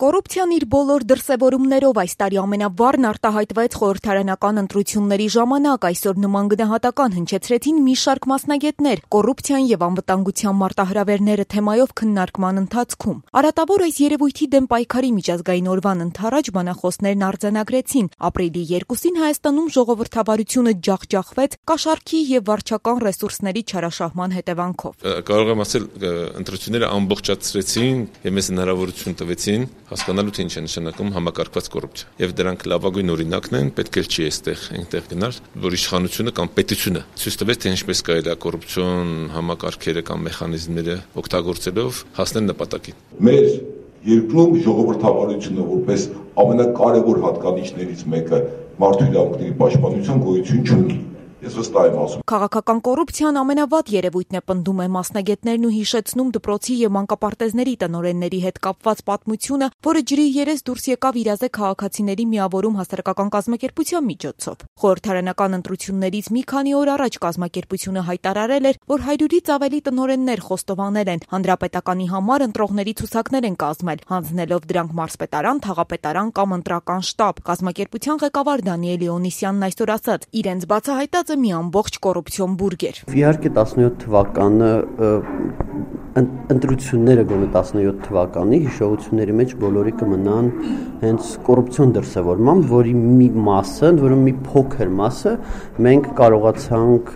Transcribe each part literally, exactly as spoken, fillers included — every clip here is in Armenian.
Կոռուպցիան իր բոլոր դրսևորումներով այս տարի ամենավառն արտահայտվեց խորհրդարանական ընտրությունների ժամանակ. այսօր նման գնահատական հնչեցրեցին մի շարք մասնագետներ կոռուպցիան եւ անվտանգության մարտահրավերները թեմայով քննարկման ընթացքում. Արատավոր այս երևույթի դեմ պայքարի միջազգային օրվան ընդառաջ բանախոսներն արձանագրեցին. ապրիլի երկուսին Հայաստանում ժողովրդավարությունը ջախջախվեց կաշառքի եւ վարչական ռեսուրսների չարաշահման հետևանքով. Կարող եմ ասել, ընտրությունները ամբողջացրեցին եւ մեզ հնարավորություն տվեցին հասկանալու թե ինչ է նշանակում համակարգված կոռուպցիա։ Եվ դրանք լավագույն օրինակն են, պետք է չի այստեղ այնտեղ գնալ, որ իշխանությունը կամ պետությունը ցույց տվեց թե ինչպես կարելի է կոռուպցիոն համակարգերը կամ մեխանիզմները օգտագործելով հասնել նպատակին։ Մեր երկրում ժողովրդավարությունը որպես ամենակարևոր հատկանիշներից մեկը մարդու իրավունքների պաշտպանության գոյություն չունի։ Ես վստահ եմ ասում. Քաղաքական կոռուպցիան ամենավատ երևույթն է, պնդում է մասնագետներն ու հիշեցնում դպրոցի եւ մանկապարտեզների տնօրենների հետ կապված պատմությունը, որը ջրի երես դուրս եկավ իրազե քաղաքացիների միավորում հասարակական կազմակերպության միջոցով։ Խորհրդարանական ընտրություններից մի քանի օր առաջ կազմակերպությունը հայտարարել էր, որ հարյուրից ավելի տնօրեններ խոստովանել են, հանրապետականի համար ընտրողների ցուցակներ են կազմել, հանձնելով դրանք մարզպետարան, թաղապետարան կամ ընտրական շտաբ։ Կազմակերպության ղեկավար Դանիել Իոնիսյանն այսօր ասաց, իրենց բացահայտած մի ամբողջ կոռուպցիոն բուրգ էր։ Իհարկե տասնյոթ թվականը ընտրությունները գոնե տասնյոթ թվականի հիշողությունների մեջ բոլորի կմնան հենց կոռուպցիոն դրսևորմամբ, որի մի մասը, որը մի փոքր մասը մենք կարողացանք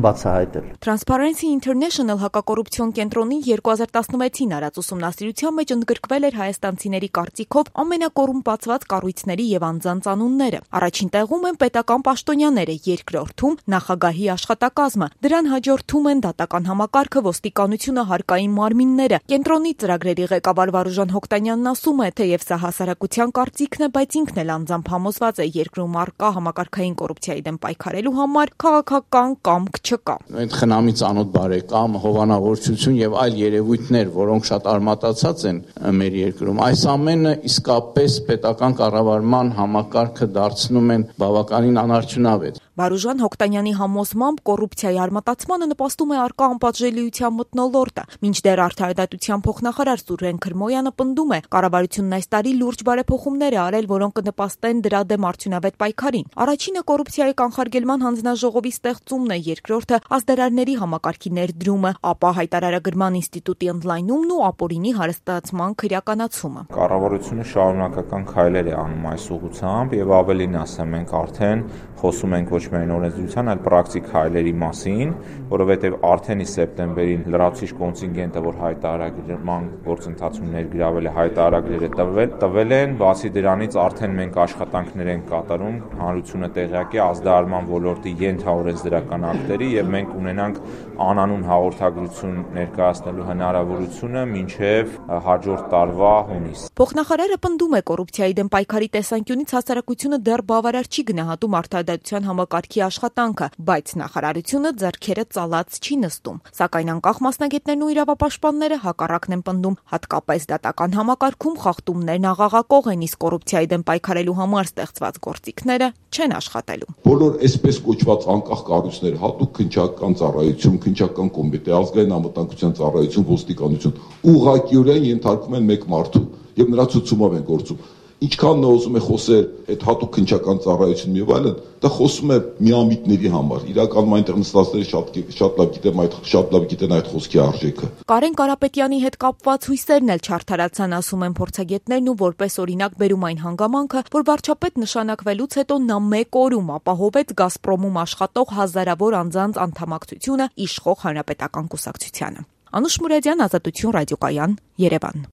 բացահայտել։ Transparency International հակակոռուպցիոն կենտրոնի երկու հազար տասնվեցին արած ուսումնասիրության մեջ ընդգրկվել էր հայաստանցիների կարծիքով ամենակոռումպացված կառույցների եւ անձանց անունները։ Առաջին տեղում են պետական պաշտոնյաները, երկրորդում նախագահի աշխատակազմը, դրան հաջորդում են դատական համակարգը, ոստիկանությունը, հարկային մարմինները։ Կենտրոնի ծրագրերի ղեկավար Վարուժան Հոկտանյանն ասում է, թեև սա հասարակության կարծիքն է, բայց ինքն էլ անձամբ համոզված է, երկրում առկա համակարգային կոռուպցիայի դեմ պայքարելու համար քաղաքական կամք չկա։ Այդ խնամի ծանոթ բարեկամ, հովանավորչություն եւ այլ երևույթներ, որոնք շատ արմատացած են մեր երկրում, այս ամենը իսկապես պետական կառավարման համակարգը դարձնում են բավականին անարդյունավետ։ Վարուժան Հոկտանյանի համոզմամբ կոռուպցիայի արմատացմանը նպաստում է առկա անպատժելիության մթնոլորտը։ Մինչդեռ արդարադատության փոխնախարար Սուրեն Քրմոյանը պնդում է, կառավարությունն այս տարի լուրջ բարեփոխումներ է արել, որոնք կնպաստեն դրա դեմ արդյունավետ պայքարին։ Առաջինը կոռուպցիայի կանխարգելման հանձնաժողովի ստեղծումն է, երկրորդը ազդարարների համակարգի ներդրումը, ապա հայտարարագրման ինստիտուտի ընդլայնումն ու ապօրինի հարստացման քրեականացումը։ Կառավարությունը շարունակական քայլեր է անում այս ուղղությամբ եւ ավելին ասեմ, մենք արդեն խոսում ենք ոչ միայն օրենսդրության, այլ պրակտիկ քայլերի մասին, որովհետև արդեն ի սեպտեմբերին լրացուցիչ կոնտինգենտը, որ հայտարարման գործընթացում ներգրավել է, հայտարարները տվել, տվել են, բացի դրանից արդեն մենք աշխատանքներ ենք կատարում, հանրությունը տեղյակ է ազդարարման ոլորտի ենթաօրենսդրական ակտերի եւ մենք ունենանք անանուն հաղորդագրություն ներկայացնելու հնարավորությունը մինչեւ հաջորդ տարվա հունիս։ Փոխնախարարը պնդում է, կոռուպցիայի դեմ պայքարի տեսանկյունից հասարակությունը դեռ բավարար չի գնահատում արդարադատության համակարգի աշխատանքը, բայց նախարարությունը ձեռքերը ծալած չի նստում։ Սակայն անկախ մասնագետներն ու իրավապաշտպանները հակառակն են պնդում, հատկապես դատական համակարգում խախտումներն աղաղակող են, իսկ կոռուպցիայի դեմ պայքարելու համար ստեղծված գործիքները չեն աշխատելու։ Բոլոր այսպես կոչված անկախ կառույցները, հատուկ քննչական ծառայություն, քննչական կոմիտե, ազգային անվտանգության ծառայություն, ոստիկանություն, ուղղակիորեն ենթարկվում են մեկ մարդու եւ նրա ցուցումով են գործում։ Ինչքան նա ուզում է խոսել այդ հատուկ քննչական ծառայությունն եւ այլն, դա խոսում է միամիտների համար։ Իրականում այնտեղ նստածները շատ շատ լավ գիտեն այդ շատ լավ գիտեն այդ խոսքի արժեքը։ Կարեն Կարապետյանի հետ կապված հույսերն էլ չարթարացան, ասում են փորձագետներն ու որպես օրինակ բերում այն հանգամանքը, որ վարչապետ նշանակվելուց հետո նա մեկ օրում ապահովեց Գազպրոմում աշխատող հազարավոր անձանց անդամակցությունը իշխող հանրապետական կուսակցությանը։ Անուշ Մուրադյան, Ազատություն ռադիոկայան, Երևան։